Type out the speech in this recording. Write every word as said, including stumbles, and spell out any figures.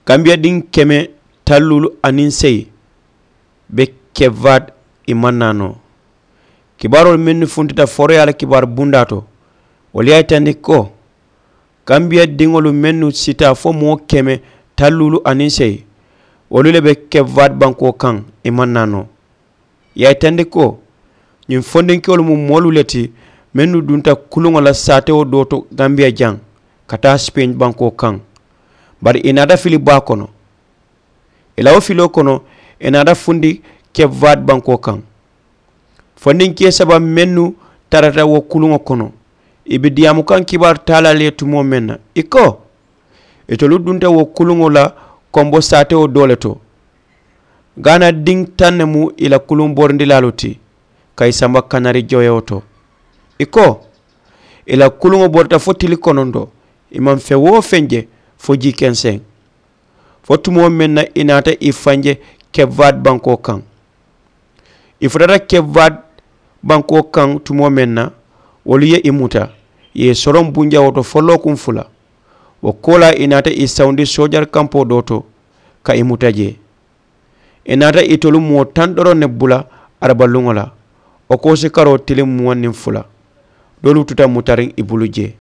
Kambiya diŋ keme talluulu aniŋ seyi be kevaat i maŋ naa noo. Kibaaroolu mennu funtita foroyaa la kibaaru bundaa to, wolu ye a yitandi ko kambiya diŋolu mennu si taa fo moo keme talluulu aniŋ seyi, wolu le be kevaat bankoo kaŋ i maŋ naa noo. Ye a yitandi ko ñiŋ fondinkewolu mu moolu le ti mennu dunta kuluŋo la saatewo doo to kambiya jaŋ ka taa sipeeñ bankoo kaŋ. Bari ì naata fili baa kono. Ì la wo filoo kono ì naata fundi kevaat bankoo kaŋ. Fondinkee saba mennu tarata wo kuluŋo kono, ì be diyaamu kaŋ kibaaru taalaalu ye tumoo meŋ na ì ko, itolu dunta wo kuluŋo la kombo saatewo doo le to. Gaana diŋ taŋ ne mu ì la kuluŋ borindilaalu ti ka ì samba kanari joyewo to. Ì ko, ì la kuluŋo borita fo tili kononto, ì maŋ feŋ woo feŋ je fo jii kenseŋ. Fo tumoo meŋ na ì naata ì faŋ je kevaat bankoo kaŋ. Ì futata kevaat bankoo kaŋ tumoo meŋ na, wolu ye ì muta, ì ye ì soroŋ bunjawoo to fo lookuŋ fula. Wo koolaa ì naata ì sawundi soojari kampoo doo to ka ì muta jee. Ì naata itolu moo taŋ doroŋ ne bula arabaluŋo la, wo koosikaroo tiliŋ muwaŋ niŋ fula. Doolu tuta mutariŋ ì bulu jee.